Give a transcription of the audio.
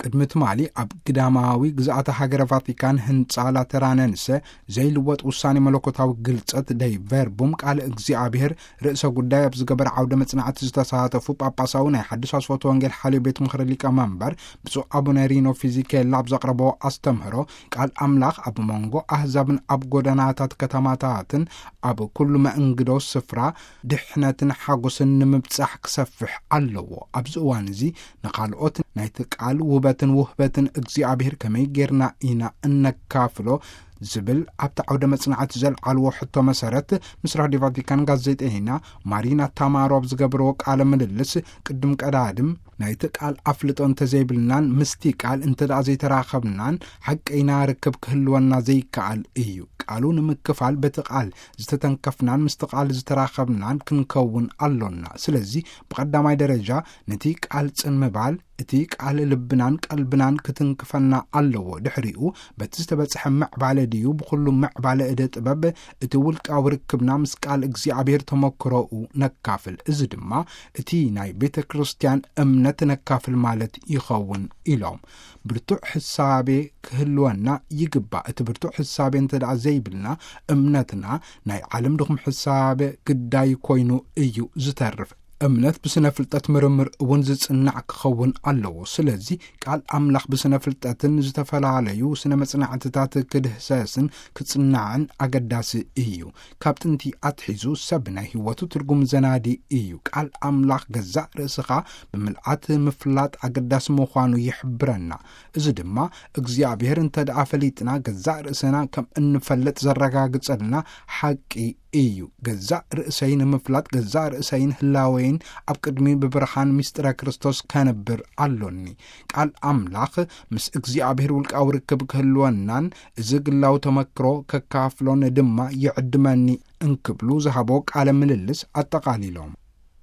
ቅድሚ ትማሊ ኣብ ግዳማዊ ግዝኣተ ሃገረ ቫቲካን ህንጻ ላተራነንሰ ዘይልወጥ ውሳኔ መለኮታዊ ግልጸት ደይ ቨርቡም ቃል እግዚኣብሔር ርእሰ ጉዳይ ኣብ ዝገበረ ዓውደ መጽናዕቲ ዝተሳተፉ ጳጳሳዊ ናይ ሓድሽ ኣስፈቶ ወንጌል ሓልዮ ቤት ምኽሪ ሊቀ መንበር ብፁዕ ኣቡነ ሪኖ ፊዚኬላ ኣብ ዘቕረቦ ኣስተምህሮ፣ ቃል ኣምላኽ ኣብ መንጎ ኣህዛብን ኣብ ጎደናታት ከተማታትን ኣብ ኩሉ መእንግዶ ስፍራ ድሕነትን ሓጎስን ንምብጻሕ ክሰፍሕ ኣለዎ። ኣብዚ እዋን እዚ ንኻልኦት ናይቲ ቃል ውበትን ውህበትን እግዚኣብሔር ከመይ ጌርና ኢና እነካፍሎ ዝብል ኣብቲ ዓውደ መጽናዕቲ ዘልዓልዎ ሕቶ መሰረት፣ ምስ ራድዮ ቫቲካን ጋዜጠይና ማሪና ታማሮ ኣብ ዝገብርዎ ቃለ ምልልስ፣ ቅድም ቀዳድም ናይቲ ቃል ኣፍልጦ እንተዘይብልናን ምስቲ ቃል እንተ ደኣ ዘይተራኸብናን ሓቀይና ርክብ ክህልወና ዘይከኣል እዩ። ቃሉ ንምክፋል በቲ ቃል ዝተተንከፍናን ምስቲ ቃል ዝተራኸብናን ክንከውን ኣሎና። ስለዚ ብቐዳማይ ደረጃ ነቲ ቃል ጽን ምባል፣ እቲ ቃል ልብናን ቀልብናን ክትንክፈና ኣለዎ። ድሕሪኡ በቲ ዝተበጽሐ ምዕባለ ድዩ ብኹሉ ምዕባለ እደ ጥበብ እቲ ውልቃዊ ርክብና ምስ ቃል እግዚኣብሔር ተመክሮኡ ነካፍል። እዚ ድማ እቲ ናይ ቤተ ክርስቲያን እምነት ነካፍል ማለት ይኸውን ኢሎም። ብርቱዕ ሕሳቤ ክህልወና ይግባእ። እቲ ብርቱዕ ሕሳቤ እንተ ደኣ ዘይብልና እምነትና ናይ ዓለም ድኹም ሕሳቤ ግዳይ ኮይኑ እዩ ዝተርፍ። እምነት ብስነ ፍልጠት ምርምር እውን ዝጽናዕ ክኸውን ኣለዎ። ስለዚ ቃል ኣምላኽ ብስነ ፍልጠትን ዝተፈላለዩ ስነ መጽናዕትታት ክድህሰስን ክጽናዕን ኣገዳሲ እዩ። ካብ ጥንቲ ኣትሒዙ ሰብ ናይ ህይወቱ ትርጉም ዘናዲ እዩ። ቃል ኣምላኽ ገዛእ ርእስኻ ብምልኣት ምፍላጥ ኣገዳሲ ምዃኑ ይሕብረና። እዚ ድማ እግዚኣብሔር እንተ ደኣ ፈሊጥና ገዛእ ርእስና ከም እንፈልጥ ዘረጋግጸልና ሓቂ እዩ። ገዛእ ርእሰይ ንምፍላጥ ገዛእ ርእሰይን ህላወይን ኣብ ቅድሚ ብብርሃን ምስጢረ ክርስቶስ ከንብር ኣሎኒ። ቃል ኣምላኽ ምስ እግዚኣብሔር ውልቃዊ ርክብ ክህልወናን እዚ ግላዊ ተመክሮ ከካፍሎን ድማ ይዕድመኒ እንክብሉ ዝሃቦ ቃለ ምልልስ ኣጠቓሊሎም።